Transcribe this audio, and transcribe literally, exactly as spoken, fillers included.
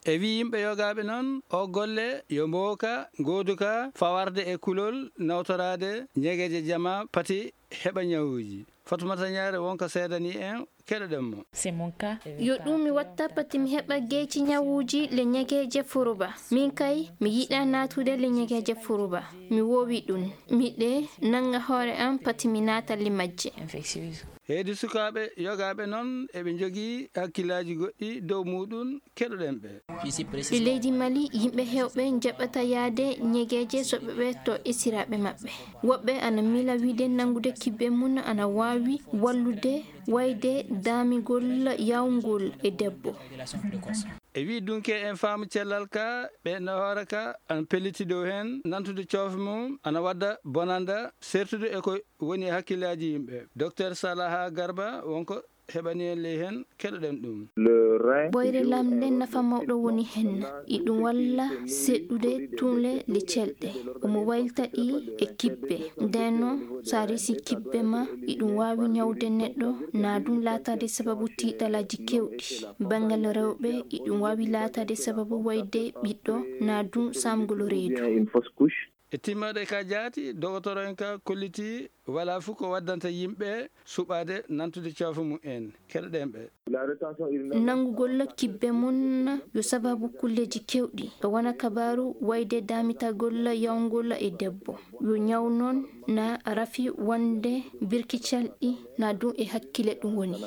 E wi yimɓe yogaaɓe noon, o golle yo mbooka, ngooduka, fawarde e kulol, nawtoraade, ñegeeje jama, pati heɓa ñawuuji. Fatumata Ñaare wonko seedanii en, keɗoɗen mo. Yo ɗum mi watta pati mi heɓa geeci ñawuuji le ñegeeje furuba. Min kay, mi yiɗa naatude le ñegeeje furuba. Mi woowi ɗum. Miɗe nannga hoore am pati mi naata le majje. Heedi sukaaɓe yogaaɓe noon, eɓe njogii hakkillaaji goɗɗi dow muuɗum, keɗoɗen ɓe. E leydi Mali, yimɓe heewɓe njaɓata yaade ñegeeje so ɓe ɓeeto esiraaɓe maɓɓe. Woɓɓe ana mila wiide nanngude kibbe mum ana waawi wallude wayde daamigol yawngol e debbo. E wi dunke en faamu cellal ka, ɓe no hoore ka, ana pelliti dow heen, nantude coofe mum, ana wadda bonanda, sertude e ko woni hakkillaaji yimɓe. Docteur Salaha Garba wonko heɓani en ley heen, keɗoɗen ɗum. Ɓooyre lamnde nafa mawɗo woni heen, iɗum walla seɗɗude tuunle le celɗe. Omo waylta ɗi e kibbe. Ndeno, so a resi kibbe ma, iɗum waawi ñawde neɗɗo, na ɗum laataade sababu tiiɗalaaji keewɗi. Banngal rewɓe, iɗum waawi laataade sababu wayde ɓiɗɗo, na ɗum saamgol reedu. E timmoode ka jaati, dogotoro en ka kolliti, wala fof ko waddanta yimɓe suɓaade nantude coofe mum en. Keɗoɗen ɓe. Nanngugol kibbe mum yo sababu kulleeji keewɗi, e wona kabaaru wayde daamitagol yawngol e debbo. Yo ñaw noon na rafi wonde birki calɗi na ɗum e hakkille ɗum woni.